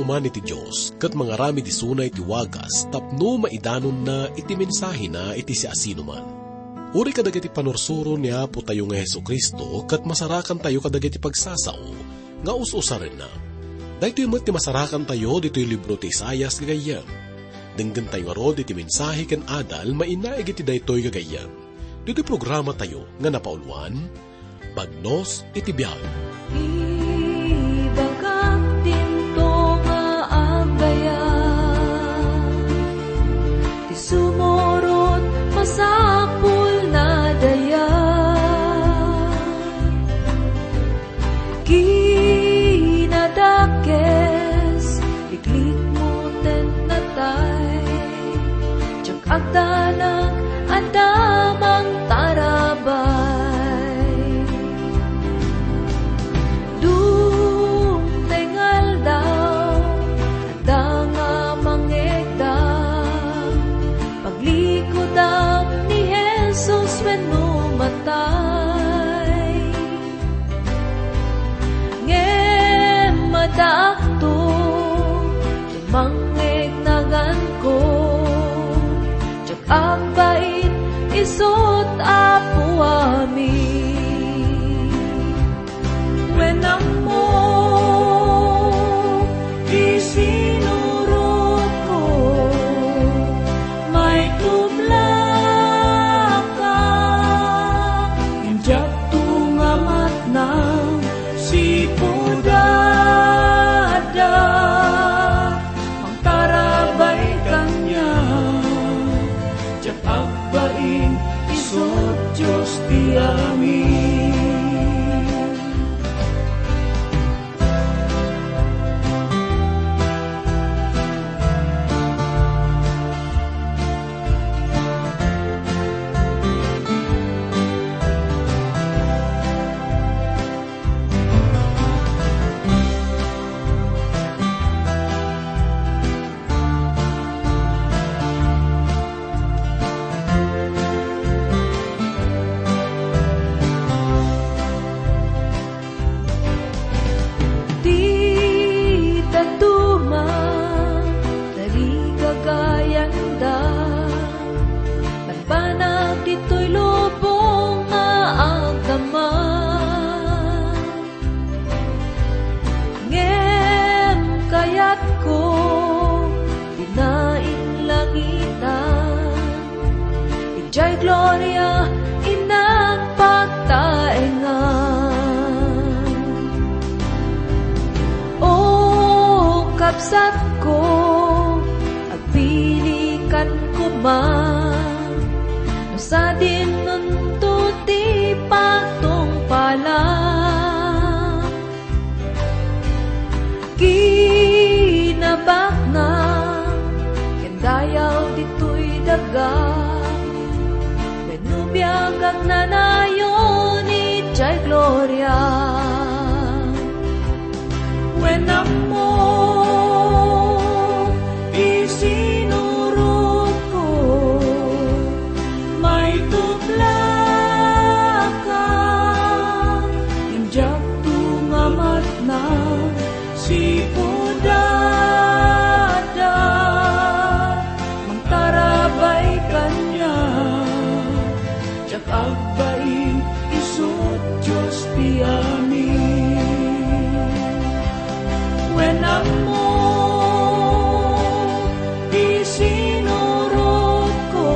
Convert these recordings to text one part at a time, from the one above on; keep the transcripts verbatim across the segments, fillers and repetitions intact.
man iti Dios, ket mangaramid isuna iti wagas tapno maidanonna iti mensahena iti siasinoman. Uray kadagiti panursuro ni Apotayo nga Jesu-Cristo ket masarakantayo kadagiti pagsasao nga us-usarenna. Daytoy met ti masarakantayo ditoy libro ti Isaias, gagayyem. Denggentayo ngarud iti mensahe ken adal mainaig iti daytoy, gagayyem. Ditoy programatayo nga napauluan, Bagnos iti Biag. Ibagak dinto nga agayat, ti sumurot masapul na dayag. Kinadakes, liklikmo ten natay. Diak agdanag, adda mangtarabay. Dumteng aldaw, adda nga mangegda. Paglikudam ni Jesus wenno matay. Ngem addaakto, mangngegnaganko, diak agbain isut' Apo amin. Wen ammo ti sinurotko, maitublaka, ngem diakto nga matnang sipud adda mangtarabay kaniak. Diak agbain isut' Dios ti amin. Ti dadduma, tarigagayanda, banbanag ditoy lubong nga agdamag. Ngem kayatko, dina inlangitan, idiay gloria innak pagtaengan. O kabsatko, agpilikan koma, no sadinonto ti pagtungpalan. Kinabaknang ken dayaw ditoy daga, wenno biag agnanayon idiay gloria. Wen ammo ti sinurotko, maitublaka, ngem diakto nga matnang sipud adda mangtarabay kaniak. Diak agbain isut' Dios ti amin. Wen ammo ti sinurotko,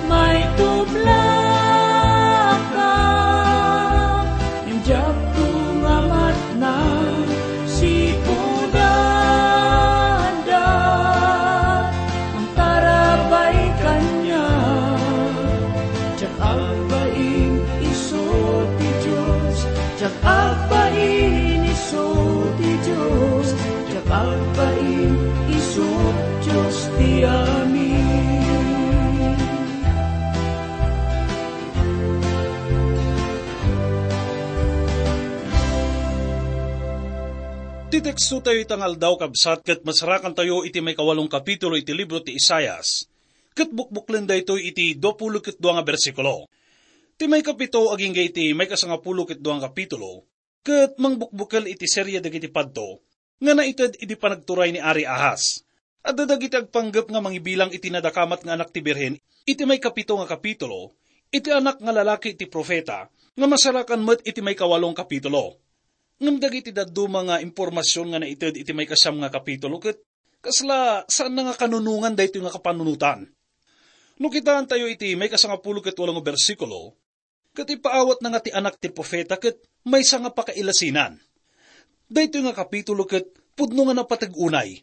maitublaka, ngem diakto nga matnang sipud adda mangtarabay kaniak. Diak agbain isu ti Dios, diak agbain isu ti Dios, diak agbain isu Dios ti amin. Ti teksto tayo ita nga aldaw, kabsat, ket masarakan tayo iti maikawalong kapitulo iti libro ti Isaias, ket bukbuklen daytoy iti duapulo ket dua nga bersikulo. Ti maikapito agingga iti maikasangapulo ket dua nga kapitulo, ket mangbukbukel iti serie dagiti padto, nga naited idi panagturay ni Ari Ahaz. Adda dagiti agpanggep nga mangibilang iti nadakamat nga anak ti birhen iti maikapito nga kapitulo, iti anak nga lalaki iti profeta, nga masarakan met iti maikawalong kapitulo. Ngem dagiti dadduma nga impormasion nga naited iti maikasiam nga kapitulo ket kasla saanna nga kanunongan daytoy nga kapanunotan. No kitaentayo iti maikasangapulo ket walo nga bersikulo, ket ipaawatna nga ti anak ti profeta ket maysa nga pakailasinan. Daytoy nga kapitulo ket pudno nga napateg unay.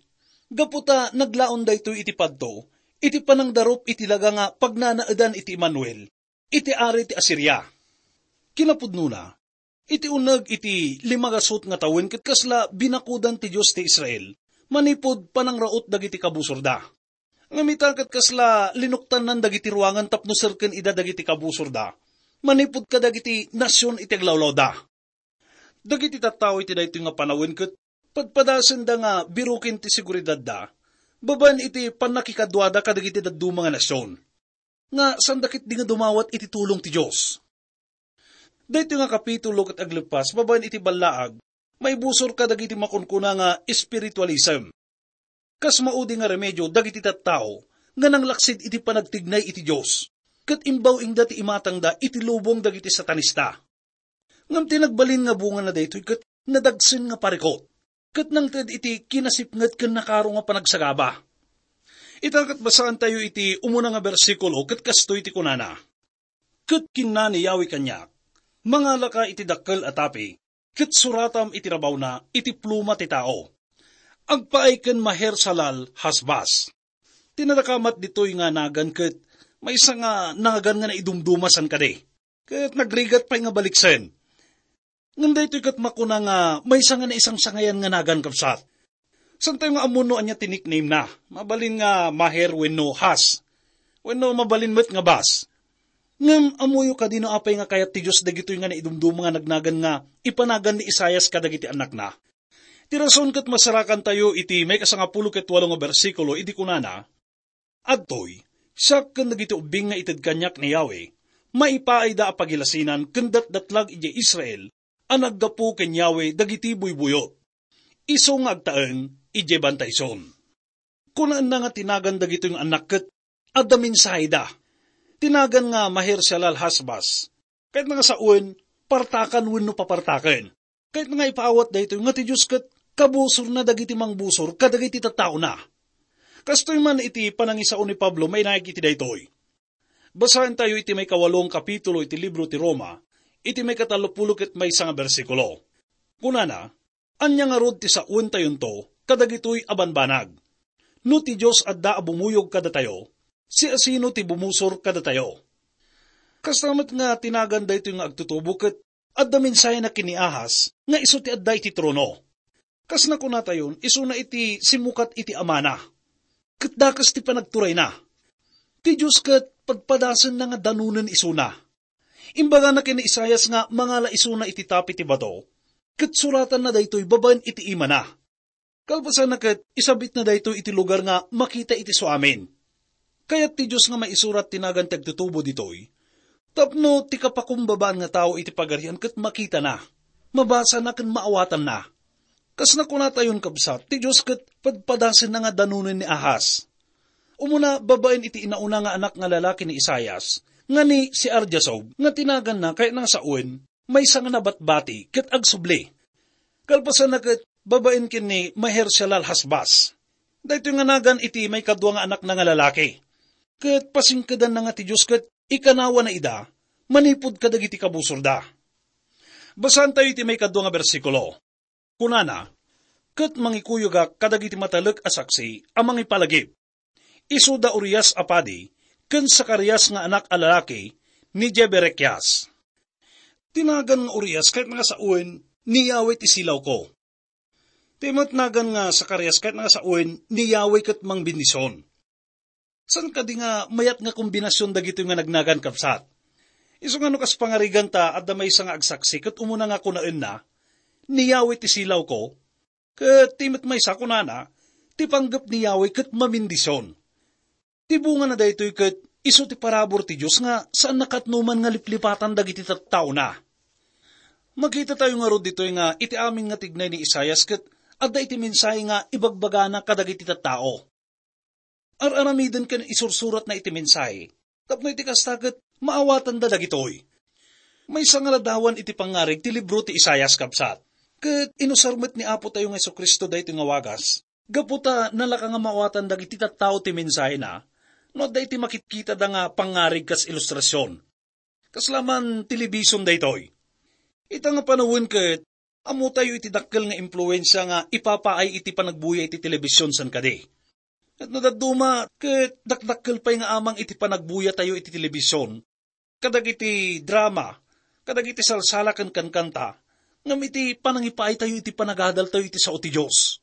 Gapu ta naglaon daytoy iti padto, iti panangdarup iti laga nga pagnanaedan iti Emmanuel, iti ari ti Asiria. Kinapudnona, iti uneg iti limagasut nga tawen ket kasla binakudan ti Dios ti Israel, manipud panangraut dagiti kabusorda. Ngem ita ket kasla linuktannan dagiti ruangan tapno serken ida dagiti kabusorda, manipud kadagiti nasion iti aglawlawda. Dagiti tattao iti daytoy nga panawen ket padpadasenda nga biroken ti seguridadda, babaen iti pannakikaduada kadagiti dadduma nga nasion, nga sanda ketdi nga dumawat iti tulong ti Dios. Daytoy nga kapitulo ket agleppas babaen iti ballaag, maibusor kadagiti makunkuna nga espiritualism. Kas maudi nga remedio dagiti tattao nga nanglaksid iti panagtignay iti Dios, ket imbaw-ingda ti imatangda iti lubong dagiti satanista. Ngem ti nagbalin nga bungana daytoy ket nadagsen nga parikut, ket nangted iti kinasipnget ken nakaro nga panagsagaba. Ita ket basaantayo iti umuna nga bersikulo ket kastoy ti kunana, "Ket kinuna ni Yahweh kaniak, 'Mangalaka iti dakkel a tapi, ket suratam iti rabawna iti pluma ti tao. Agpaay ken Maher-Shalal-Hash-Baz.'" Ti nadakamat ditoy nga nagan ket maysa nga nagan nga naidumduma san kadi, ket nagrigat pay nga baliksen. Ngem daytoy ket makuna nga maysa nga naisangsangayan nga nagan, kabsat. Saantayo nga ammon no ania ti nickname na. Mabalin nga Maher wenno Hash, wenno mabalin met nga Baz. Ngem ammoyo kadi no apay nga kayat ti Dios dagitoy nga naidumduma nga nagnagan nga ipanagan ni Isaias kadagiti annakna? Ti rason ket masarakantayo iti maikasangapulo ket walo nga bersikulo idi kunana, "Adtoy, siak ken dagiti ubbing nga ited kaniak ni Yahweh, maipaayda a pagilasinan ken datdatlag idiay Israel a naggapu ken Yahweh dagiti buybuyot, isu nga agtaeng idiay Bantay Sion." Kunaenna nga ti nagan dagitoy nga annak ket adda mensaheda. Ti nagan nga Maher-Shalal-Hash-Baz, kayatna nga sawen, partakan wenno papartaken. Kayatna nga ipaawat daytoy nga ti Dios ket kabusorna dagiti mangbusor kadagiti tattaona. Kastoy man iti panangisao ni Pablo, mainaig iti daytoy. Basaentayo iti maikawalong kapitulo iti libro ti Roma, iti maikatallopulo ket maysa nga bersikulo. Kunana, "Ania ngarud ti saoentayonto kadagitoy a banbanag? No ti Dios adda a bumuyog kadatayo, siasino ti bumusor kadatayo?" Kasta met nga ti nagan daytoy nga agtutubo ket adda mensahena ken ni Ahaz nga isu ti adda iti trono. Kas nakunatayon, isuna iti simmukat iti amana. Ket dakes ti panagturayna. Ti Dios ket padpadasenna nga danonen isuna. Imbagana ken ni Isaias nga mangala isuna iti tapi ti bato, ket suratanna daytoy babaen iti imana. Kalpasanna ket isabitna daytoy iti lugar nga makita iti suamin. Kayat ti Dios nga maisurat ti nagan ti agtutubo ditoy, tapno ti kapakumbabaan nga tao iti Pagarian ket makitana, mabasana ken maawatanna. Kas nakunatayon, kabsat, ti Dios ket padpadasenna nga danonen ni Ahaz. Umuna, babaen iti inauna nga anak nga lalaki ni Isaias, nga ni Shear-Jashub, nga ti naganna kayatna nga sawen, maysa nga nabatbati ket agsubli. Kalpasanna ket babaen ken ni Maher-Shalal-Hash-Baz. Daytoy nga nagan iti maikadua nga anakna nga lalaki. Ket pasingkedanna nga ti Dios ket ikanawana ida manipud kadagiti kabusorda. Basaentayo iti maikadua nga bersikulo. Kunana, "Ket mangikuyogak kadagiti matalek a saksi a mangipalagip. Isu da Urias a padi, ken Zacarias nga anak a lalaki ni Jeberekias." Ti nagan nga Urias ket nga sawen ni Yahweh ti silawko. Ti met nagan nga Zacarias ket nga sawen ni Yahweh ket mangbendisyon. Saan kadi nga mayat nga kombinasion dagitoy nga nagnagan, kabsat? Isu nga no kas pangarigan ta adda maysa nga agsaksi ket umuna nga kunaenna, "Ni Yahweh ti silawko," ket ti met maysa kunana, "Ti panggep ni Yahweh ket mamendisyon." Ti bungana daytoy ket isu ti parabur ti Dios nga saan nakatnoman nga liplipatan dagiti tattaona. Makitatayo ngarud ditoy nga iti amin nga tignay ni Isaias ket adda iti mensahe nga ibagbagana kadagiti tattao. Ar-aramiden ken isursuratna iti mensahe. Tapno iti kasta ket maawatanda dagitoy. Maysa nga ladawan iti pangngarig ti libro ti Isaias, kabsat. Ket inusar met ni Apo tayo nga Jesu-Cristo daytoy nga wagas. Gapu ta nalaka nga maawatan dagiti tattao ti mensahena, no adda iti makitkitada nga pangngarig kas ilustrasion. Kasla man television daytoy. Ita nga panawen ket, ammotayo iti dakkel nga impluensia nga ipapaay iti panagbuya iti television san kadi. Ket no dadduma, ket dakdakkel pay nga amang iti panagbuyatayo iti television, kadagiti drama, kadagiti salsala ken kankanta, ngem iti panangipaaytayo iti panagadaltayo iti sao ti Dios.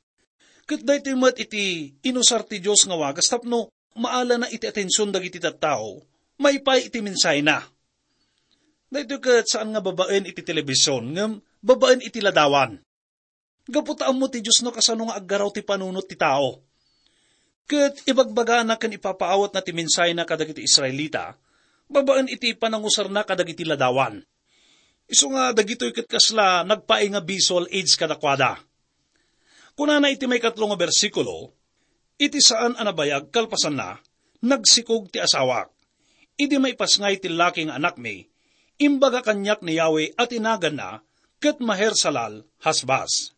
Ket daytoy met iti inusar ti Dios nga wagas tapno maalana iti atension dagiti tattao, maipaay iti mensahena. Daytoy ket saan nga babaen iti television, ngem babaen iti ladawan. Gapu ta ammo ti Dios no kasano nga aggaraw ti panunot ti tao. Ket ibagbagana ken ipapaawatna ti mensahena kadagiti Israelita, babaen iti panangusarna kadagiti ladawan. Isu nga dagitoy ket kasla nagpaay nga visual aids kadakuada. Kunana iti maikatlo nga bersikulo, "Iti saan a nabayag kalpasanna, nagsikog ti asawak. Idi maipasngay ti laki nga anakmi, imbaga kaniak ni Yahweh a ti naganna ket Maher-Salal-Hasbaz."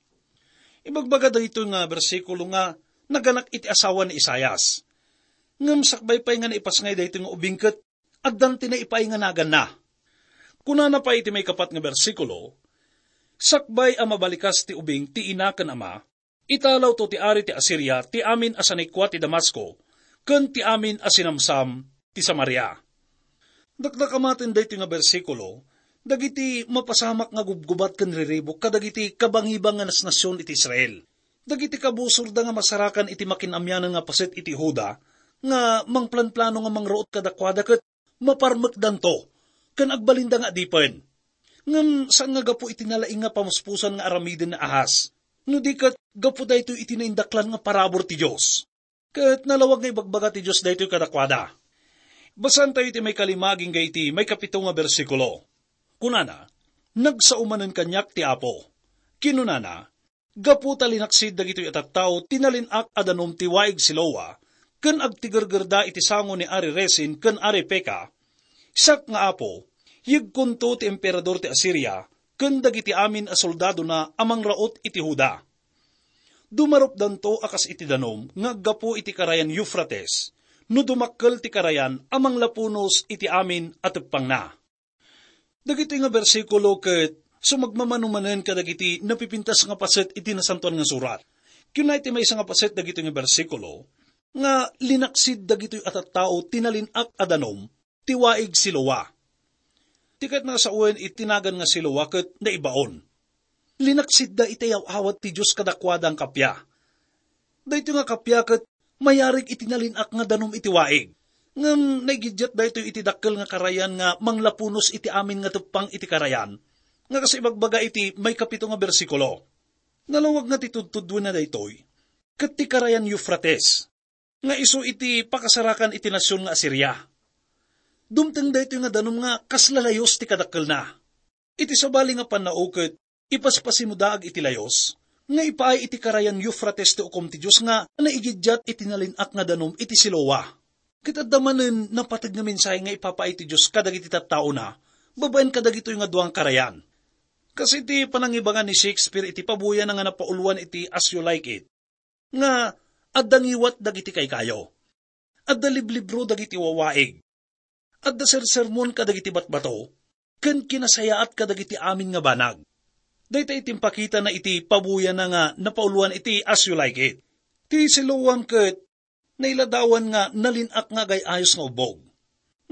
Ibagbaga daytoy nga bersikulo nga naganak iti asawa ni Isaias. Ngem sakbay pay nga naipasngay daytoy nga ubing ket addan ti naipaay nga naganna. Kunana pay iti maikapat nga bersikulo, "Sakbay a mabalikas ti ubing ti ina ken ama, italawto ti ari ti Asiria ti amin a sanikua ti Damasco ken ti amin a sinamsam ti Samaria." Dakdakamaten daytoy nga bersikulo dagiti mapasamak nga gubgubat ken riribuk kadagiti kabangibang nga nasnasion iti Israel. Dagiti kabusorda nga masarakan iti makin-amianan nga paset iti Juda nga mangplanplano nga mangraut kadakuada ket maparmekdanto ken agbalinda nga adipen. Ngem saan nga gapu iti nalaing nga pamuspusan nga aramiden ni Ahaz, no di ket gapu daytoy iti naindaklan nga parabur ti Dios. Ket nalawag nga ibagbaga ti Dios daytoy kadakuada. Basaentayo iti maikalima agingga iti maikapito nga bersikulo. Kunana, "Nagsao manen kaniak ti Apo." Kinunana, "Gapu ta linaksid dagitoy a tattao ti nalin-ak a danum ti waig Siloa, ken agtigergerda iti sango ni Ari Rezin ken Ari Peka, siak nga Apo, yegkonto ti emperador ti Asiria ken dagiti amin a soldadona a mangraut iti Juda. Dumarupdanto a kas iti danum nga aggapu iti karayan Eufrates, no dumakkel ti karayan a manglapunos iti amin a teppangna." Dagitoy nga bersikulo ket sumagmamano manen kadagiti napipintas nga paset iti Nasantoan nga Surat. Kuna iti maysa nga paset dagitoy nga bersikulo nga linaksid dagitoy a tattao ti nalin-ak a danum ti waig Siloa. Ti ket nasawen iti nagan nga Siloa ket naibaon. Linaksidda iti aw-awat ti Dios kadakuada nga kappia. Daytoy nga kappia ket mayarig iti nalin-ak nga danum iti waig. Ngem naigiddiat daytoy iti dakkel nga karayan nga manglapunos iti amin nga teppang iti karayan, nga kas ibagbaga iti maikapito nga bersikulo. Nalawag nga ti tudtuduenna daytoy, ket ti karayan Eufrates, nga isu iti pakasarakan iti nasion nga Asiria. Dumteng daytoy nga danum nga kas lalayos ti kadakkelna. Iti sabali nga pannao ket ipaspasimudaag iti layos, nga ipaay iti karayan Eufrates ti ukom ti Dios nga naigiddiat iti nalin-ak nga danum iti Siloa. Ket adda manen napateg nga mensahe nga ipapaay ti Dios kadagiti tattaona babaen kadagitoy nga dua nga karayan. Kas iti panangibangan ni Shakespeare iti pabuyana nga napauluan iti As You Like It, nga adda ngiwat dagiti kaykayo. Adda liblibro dagiti wawaig. Adda sersermon kadagiti batbato, ken kinasayaat kadagiti amin nga banag. Dayta iti impakitana iti pabuyana nga napauluan iti As You Like It. Ti Siloam ket nailadawan nga nalin-ak nga agay-ayos nga ubbog.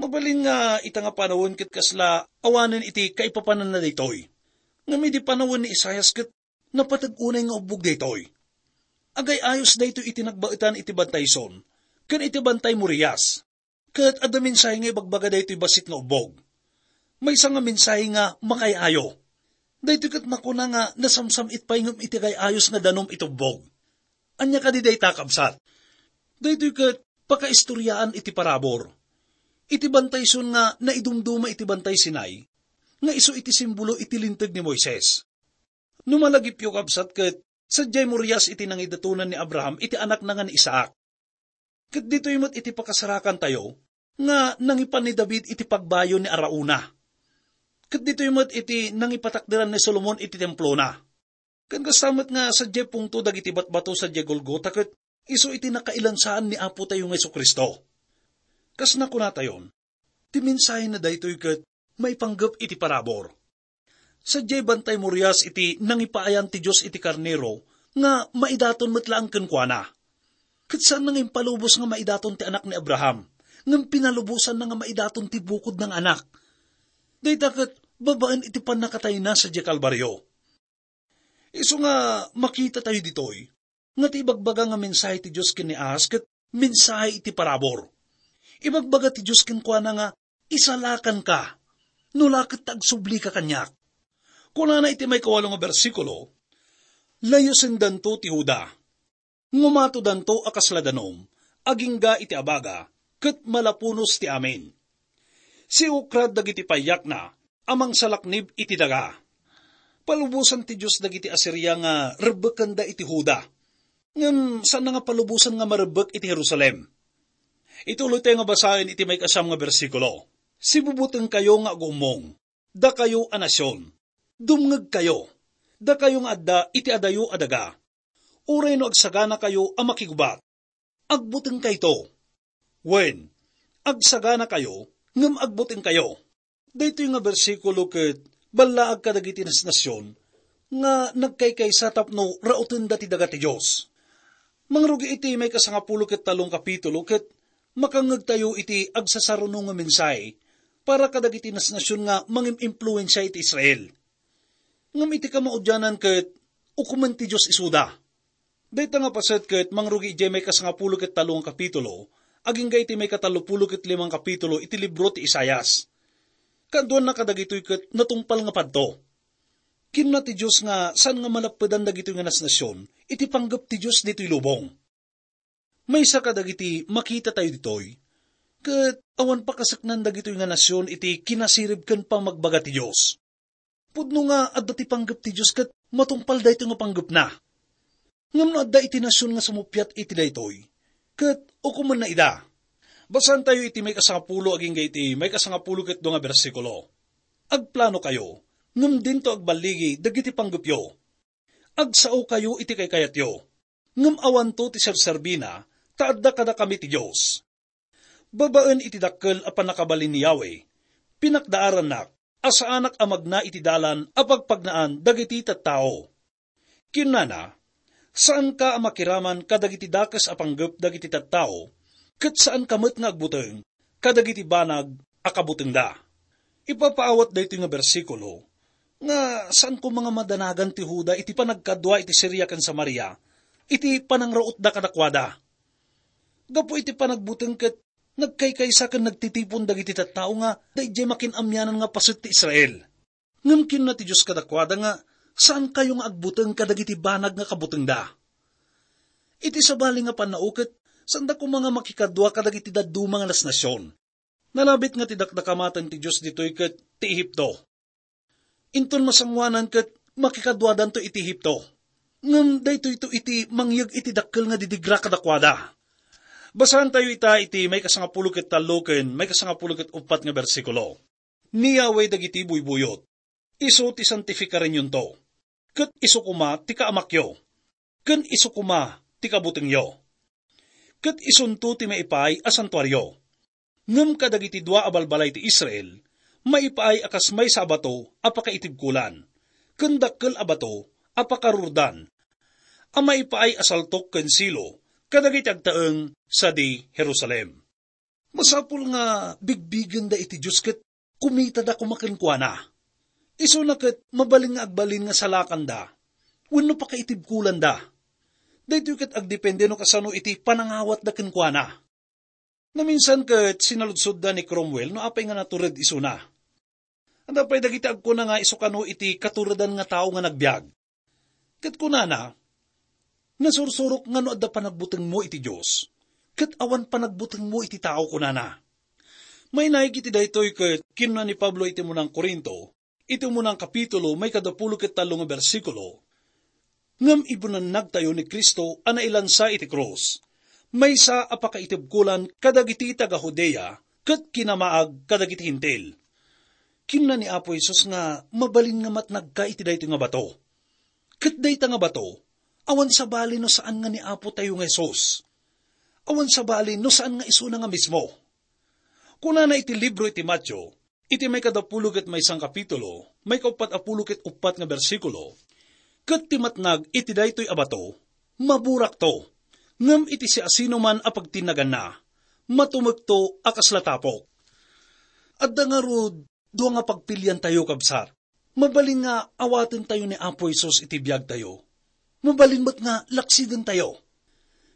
Mabalin nga ita nga panawen ket kasla awanen iti kaipapananna daytoy. Ngem idi panawen ni Isaias ket napateg unay nga ubbog daytoy. Agay-ayos daytoy iti nagbaetan iti Bantay Sion ken iti Bantay Morias. Ket adda mensahe nga ibagbaga daytoy bassit nga ubbog. Maysa nga mensahe nga makaay-ayo. Daytoy ket makuna nga nasamsam-it pay ngem iti agay-ayos nga danum iti ubbog. Ania kadi dayta, kabsat? Daytoy ket pakaistoriaan iti parabur. Iti Bantay Sion nga naidumduma iti Bantay Sinai, nga isu iti simbolo iti Linteg ni Moises. No malagipyo, kabsat, ket Sadiay Morias iti nangidatonan ni Abraham iti anakna nga ni Isaac. Ket ditoy met iti pakasarakantayo nga nangipan ni David iti pagbayo ni Arauna. Ket ditoy met iti nangipatakderan ni Solomon iti templona. Ken kasta met nga sadiay pungto dagiti batbato sadiay Golgota ket isu iti nakailansaan ni Apotayo nga Jesu-Cristo. Kas nakunatayon, ti mensahena daytoy ket maipanggep iti parabur. Sadiay bantay Morias iti nangipaayan ti Dios iti karnero nga maidaton met laeng kenkuana. Ket saan nga impalubos nga maidaton ti anak ni Abraham, ngem pinalubosanna nga maidaton ti bukodna nga anak. Dayta ket babaen iti pannakatayna sadiay Kalbario. Isu nga makitatayo ditoy, nga ti ibagbaga nga mensahe ti Dios ken ni Ahaz ket mensahe iti parabur. Ibagbaga ti Dios kenkuana nga, "Isalakanka, no la ket ta agsublika kaniak." Kunana iti maikawalo nga bersikulo, "Layosendanto ti Juda. Ngumatodanto a kasla danum, agingga iti abaga, ket malapunos ti amin. Siukrad dagiti payakna a mangsalaknib iti daga." Palubosan ti Dios dagiti Asiria nga rebbekenda iti Juda. Ngem saan nga palubosan nga marebbek iti Jerusalem. Ituloytayo nga basaen iti maikasam nga bersikulo. "Sibubutengkayo nga agummong, dakayo a nasion. Dumngegkayo, dakayo nga adda iti adayo a daga. Uray no agsaganakayo a makigubat, agbutengkayto. Wen, agsaganakayo, ngem agbutengkayo." Daytoy nga bersikulo ket ballaag kadagiti nasnasion nga nagkaykaysa tapno rautenda ti daga ti Dios. Mangrugi iti maikasangapulo ket tallong kapitulo ket makangngegtayo iti agsasaruno nga mensahe para kadagiti nasnasion nga mangim-impluensia iti Israel. Ngem iti kamaudianan ket ukomen ti Dios isuda. Dayta nga paset ket mangrugi idiay maikasangapulo ket tallo nga kapitulo, agingga iti maikatallopulo ket limang kapitulo iti libro ti Isaias. Kaduanna kadagitoy ket natungpal nga padto. Kinuna ti Dios nga saan nga malappedan dagitoy nga nasnasion iti panggep ti Dios ditoy lubong. Maysa kadagiti makitatayo ditoy, ket awan pakaseknan dagitoy nga nasion iti kinasirib ken pamagbaga ti Dios. Pudno nga adda ti panggep ti Dios ket matungpal daytoy nga panggepna. Ngem no adda iti nasion nga sumuppiat iti daytoy, ket ukomenna ida. Basaentayo iti maikasangapulo agingga iti maikasangapulo ket dua nga bersikulo. "Agplanokayo, ngem dinto agballigi dagiti panggepyo. Agsaokayo iti kaykayatyo, ngem awanto ti serserbina, ta adda kadakami ti Dios. Babaen iti dakkel a pannakabalin ni Yahweh, pinakdaarannak a saanak a magna iti dalan a pagpagnaan dagiti tattao." Kinunana, "Saanka a makiraman kadagiti dakes a panggep dagiti tattao, ket saanka met nga agbuteng kadagiti banag a kabutengda." Ipapaawat daytoy nga bersikulo nga saan koma nga madanagan ti Juda iti panagkadua iti Siria ken Samaria iti panangrautda kadakuada. Gapu iti panagbuteng ket nagkaykaysa ken nagtitipon dagiti tattao nga adda idiay makin-amianan nga paset ti Israel. Ngem kinuna ti Dios kadakuada nga, "Saankayo nga agbuteng kadagiti banag nga kabutengda." Iti sabali nga pannao ket, saanda koma nga makikadua kadagiti dadduma nga nasnasion. Nalabit nga ti dakdakamaten ti Dios ditoy ket ti Ehipto. Inton masangoanan ket makikaduadanto iti Ehipto. Ngem daytoyto iti mangyeg iti dakkel nga didigra kadakuada. Basaentayo ita iti maikasangapulo ket tallo ken maikasangapulo ket uppat nga bersikulo. Ni Yahweh dagiti buybuyot, isu ti santifikarenyonto, ket isu koma ti kaamakyo, ken isu koma ti kabutengyo. Ket isunto ti maipaay a santuario. Ngem kadagiti dua a balbalay ti Israel, maipaay a kas maysa a bato a pakaitibkolan, ken dakkel a bato a pakarurdan, a maipaay a saltok ken Silo kadagiti agtaeng sadi Jerusalem. Masapul nga bigbigenda iti Dios ket kumitada koma kenkuana. Isuna ket mabalin nga agbalin nga salakanda wenno pakaitibkolanda. Daytoy ket agdepende no kasano iti panangawatda kenkuana. Naminsan ket sinaludsodda ni Cromwell no apay nga natured isuna. Adda pay dagiti agkuna nga isu kano iti katuredan nga tao nga nagbiag. Ket kunana, "Nasursurok nga no adda panagbutengmo iti Dios, ket awan panagbutengmo iti tao," kunana. Mainaig iti daytoy ket kinuna ni Pablo iti munang Corinto, iti munang kapitulo, maikaduapulo ket tallo nga bersikulo, Ngem ibunannagtayo ni Cristo a nailansa iti krus, maysa a pakaitibkolan kadagiti taga-Judea ket kinamaag kadagiti Hentil. Kinuna ni Apo Jesus nga mabalin nga matnagka iti daytoy nga bato. Ket dayta nga bato, awan sabali no saan nga ni Apo tayo nga Jesus. Awan sabali no saan nga isuna nga mismo. Kunana iti libro iti Mateo, iti maikadapulo ket maysa nga kapitulo, maikauppat a pulo ket uppat nga bersikulo, "Ket ti matnag iti daytoy a bato, maburakto, ngem iti siasinoman a pagtinnaganna, matumekto a kasla tapok." Adda ngarud dua nga pagpiliantayo, kabsat. Mabalin nga awatentayo ni Apo Jesus iti biagtayo. Mabalin met nga laksidentayo.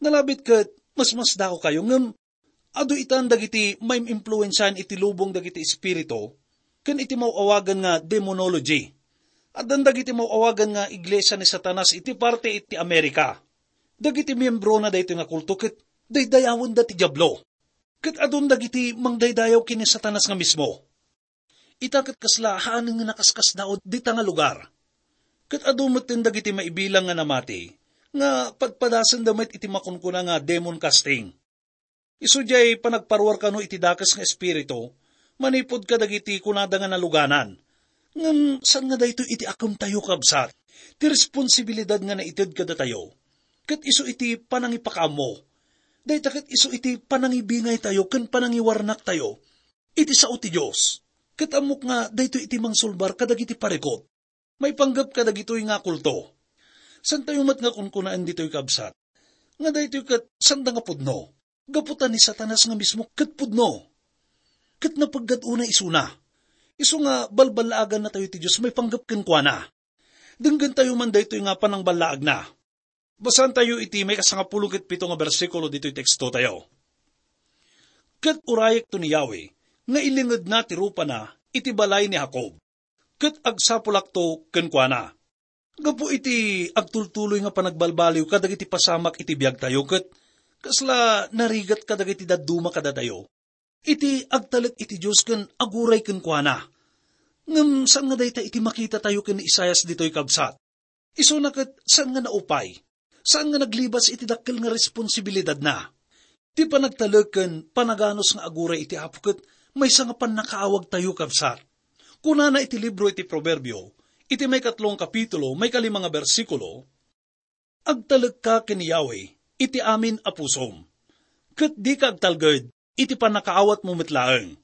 Nalabit ket masmasdakokayo, ngem adu itan dagiti maim-impluensiaan iti lubong dagiti espiritu ken iti maw-awagan nga demonology. Addan dagiti maw-awagan nga iglesia ni Satanas iti parte iti Amerika. Dagiti miembrona daytoy nga kulto ket daydayawenda ti Diablo. Ket adun dagiti mangdaydayaw ken ni Satanas nga mismo. Ita ket kasla haanen nga nakaskasdaaw dita nga lugar. Ket adu metten dagiti maibilang nga namati, nga padpadasenda met iti makunkuna nga demon casting. Isu diay panagparuar kano iti dakes nga espiritu, manipud kadagiti kunada nga naluganan. Ngem saan nga daytoy iti akemtayo, kabsat. Ti responsibilidad nga naited kadatayo, ket isu iti panangipakaammo. Dayta ket isu iti panangibingaytayo ken panangiwarnaktayo iti sao ti Dios. Ket ammok nga daytoy iti mangsulbar kadagiti parikut. Maipanggep kadagitoy nga kulto. Santayo met nga kunkunaen ditoy, kabsat, nga daytoy ket sanda nga pudno. Gapu ta ni Satanas nga mismo ket pudno. Ket napeggad unay isuna. Isu nga balballaagannatayo ti Dios maipanggep kenkuana. Denggentayo man daytoy nga panangballaagna. Basaantayo iti maikasangapulo ket pito nga bersikulo ditoy tekstotayo. "Ket urayekto ni Yahweh nga ilingedna ti rupana iti balay ni Jacob, ket agsapulakto kenkuana." Gapu iti agtultuloy nga panagbalbaliw kadagiti pasamak iti biagtayo, ket kasla narigat kadagiti dadduma kadatayo iti agtalek iti Dios ken aguray kenkuana. Ngem saan nga dayta iti makitatayo ken ni Isaias ditoy, kabsat. Isuna ket saan nga naupay, saan nga naglibas iti dakkel nga responsibilidadna. Ti panagtalek ken panaganus nga aguray iti Apo ket maysa nga pannakaawagtayo, kabsat. Kunana iti libro iti Proverbio, iti maikatlo nga kapitulo, maikalima nga bersikulo, "Agtalekka ken Yahweh iti amin a pusom, ket dika agtalged iti pannakaawatmo met laeng."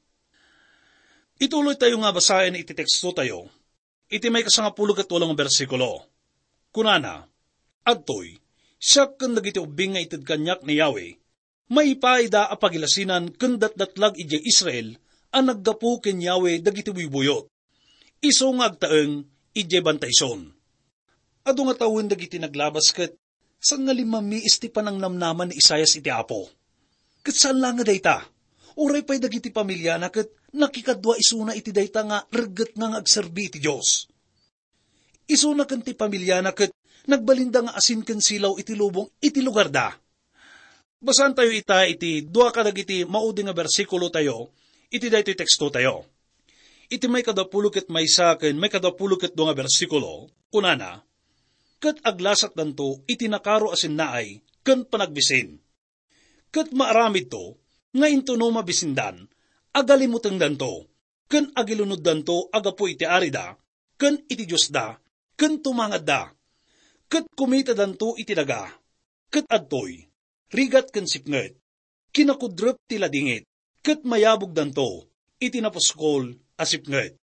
Ituloytayo nga basaen iti tekstotayo, iti maikasangapulo ket walo nga bersikulo. Kunana, "Adtoy, siak ken dagiti ubbing nga ited kaniak ni Yahweh, maipaayda a pagilasinan ken datdatlag idiay Israel a naggapu ken Yahweh dagiti buybuyot. Isu nga agtaeng idiay bantay Sion." Adu nga tawen dagiti naglabas ket saan nga limmamiis ti panangnamnama ni Isaias iti Apo. Ket saan la nga dayta, uray pay dagiti familiana ket nakikadua isuna iti dayta nga reggetna nga agserbi iti Dios. Isuna ken ti familiana ket nagbalinda nga asin ken silaw iti lubong iti lugarda. Basaantayo ita iti dua kadagiti maudi nga bersikulotayo iti daytoy tekstotayo. Iti maikadapulo ket maysa ken maikadapulo ket dua nga bersikulo, kunana, "Ket aglasatdanto iti nakaro a sinnaay ken panagbisin. Ket maaramidto nga intono mabisindan, agalimutengdanto, ken agilunoddanto a gapu iti arida, ken iti Diosda, ken tumangadda. Ket kumitadanto iti daga, ket adtoy, rigat ken sipnget, kinakudrep ti ladingit, ket mayabogdanto iti napuskol a sipnget."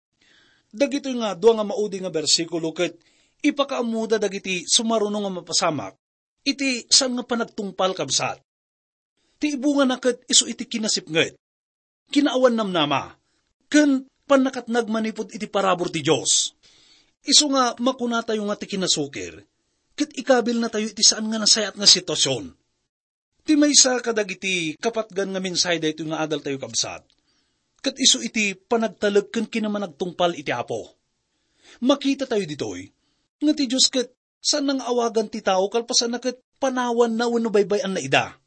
Dagitoy nga dua nga maudi nga bersikulo ket ipakaammoda dagiti sumaruno nga mapasamak iti saan nga panagtungpal, kabsat. Ti ibungana ket isu iti kinasipnget, kinaawan namnama, ken pannakatnag manipud iti parabur ti Dios. Isu nga makunatayo nga ti kinasukir, ket ikabilnatayo iti saan nga nasayaat nga sitwasyon. Ti maysa kadagiti kapatgan nga mensahe daytoy nga adaltayo, kabsat, ket isu iti panagtalek ken kinamanagtungpal iti Apo. Makitatayo ditoy nga ti Dios ket saan nga awagan ti tao kalpasanna ket panawanna wenno baybay-anna ida.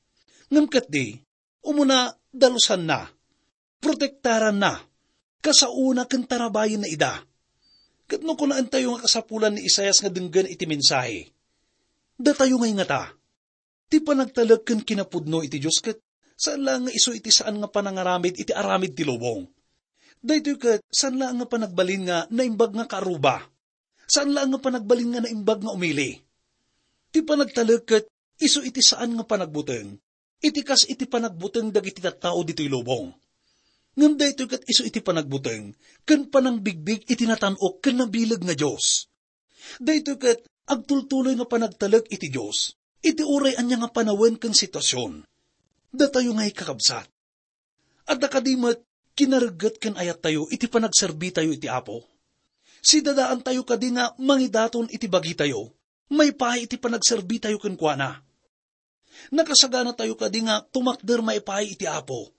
Ngem ketdi, umuna dalusanna, protektaranna, kasaona ken tarabayenna ida. Ket no kunaentayo nga kasapulan ni Isaias nga denggen iti mensahe, Datayo ngay ngata, ti panagtalek ken kinapudno iti Dios ket saan laeng nga isu iti saan nga panangaramid iti aramid ti lubong. Daytoy ket saan laeng nga panagbalin nga naimbag nga kaaruba. Saan laeng nga panagbalin nga naimbag nga umili. Ti panagtalek ket isu iti saan nga panagbuteng, iti kas iti panagbuteng dagiti tattao ditoy lubong. Ngem daytoy ket isu iti panagbuteng ken panangbigbig iti natan-ok ken nabileg nga Dios. Daytoy ket agtultuloy nga panagtalek iti Dios iti uray ania nga panawen ken sitwasion. Datayo ngay, kakabsat, adda kadi met kinaregget ken ayattayo iti panagserbitayo iti Apo? Sidadaantayo kadi nga mangidaton iti bagitayo maipaay iti panagserbitayo kenkuana? Nakasaganatayo kadi nga tumakder maipaay iti Apo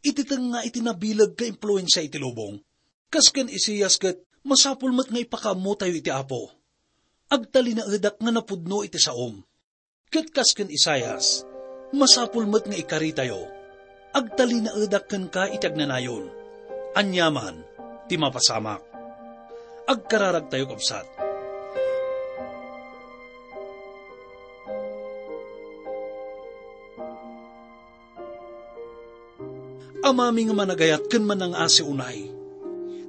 iti tengnga iti nabileg nga impluensia iti lubong? Kas ken Isaias ket masapul met nga ipakaammotayo iti Apo. Agtalinaedak nga napudno iti saom. Ket kas ken Isaias, masapul met nga ikaritayo, agtalinaedak kenka iti agnanayon. Aniaman ti mapasamak. Agkararagtayo, kabsat. Amami nga managayat ken manangasi unay,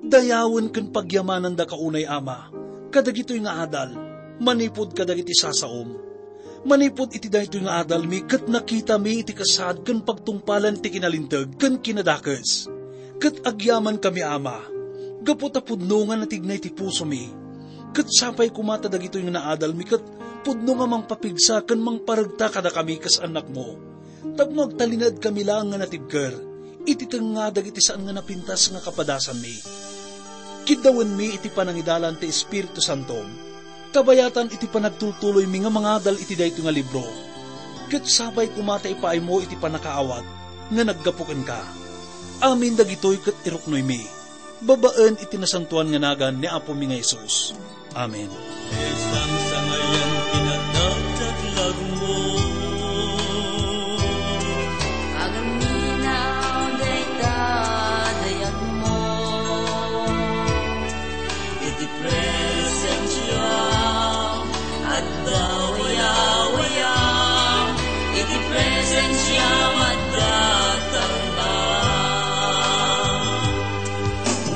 dayawen ken pagyamanandaka unay, Ama, kadagitoy nga adal, manipud kadagiti sasaom. Manipud iti daytoy nga adalmi ket nakitami iti kasaad ken pagtungpalan ti kinalinteg ken kinadakes. Ket agyamankami, Ama, gapu ta pudno nga natigna iti pusomi. Ket sapay koma ta dagitoy nga naadalmi ket pudno nga mangpapigsa ken mangparegta kadakami kas annakmo, tapno agtalinaedkami laeng nga natibker iti tengnga dagiti saan nga napintas nga kapadasanmi. Kiddawenmi iti panangidalan ti Espiritu Santom, kabayatan iti panagtultuloymi nga mangadal iti daytoy nga libro, ket sapay koma ta ipaaymo iti pannakaawat nga naggapu kenka. Amin dagitoy ket iruknoymi babaen iti nasantoan nga nagan ni Apomi nga Jesus. Amen. Sangsangayan kinadakdaklagmo. Agaminaw dayta dayagmo. Iti presensiam adda wayawayam. Iti presensiam adda tangtang.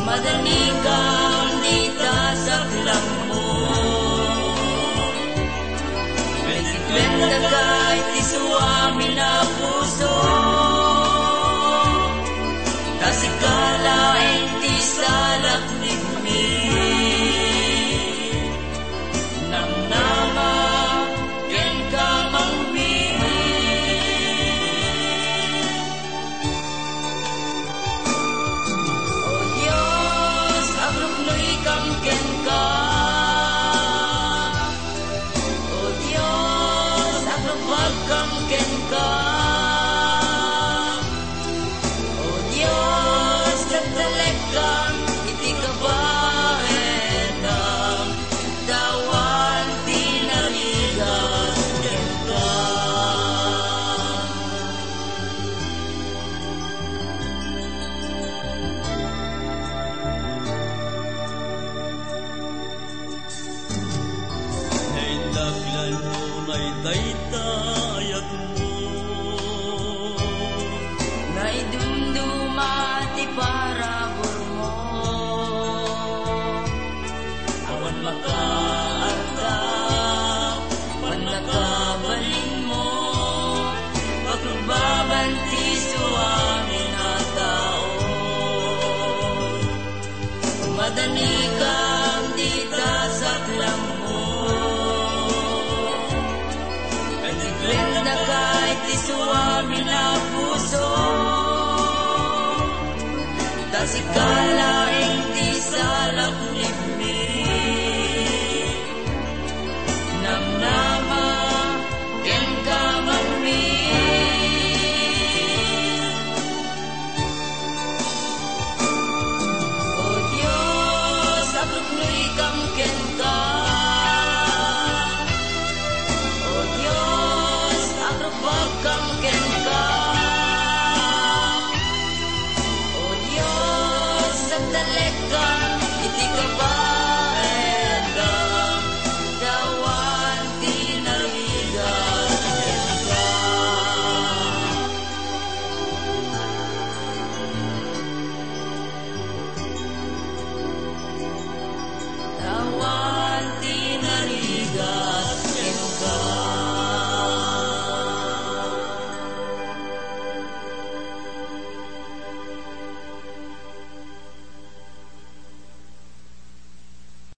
Madanikam dita saklangmo. Meddikendaka iti suamin a puso. Ta sika laeng ti salaknibmi. Namnama kenka, Amami. O Dios, agruknoykam kenka. O Dios, agrupagkam kenka. O Dios, nagtalekkan iti kabaelam, ta awan ti narigat kenka. Naindaklan mo, naitaytayagmo. Naidumduma ti paraburmo. Awan makaarta, pannakabalinmo, paklubaban ti suamin a tao. Madanikam dita saklangmo. Meddikendaka iti suamin a puso. Ta sika laeng ti salaknibmi. Namnama kenka, Amami. O Dios, agruknoykam kenka. O Dios, agrupagkam kenka. O Dios, agtalekkan iti kaba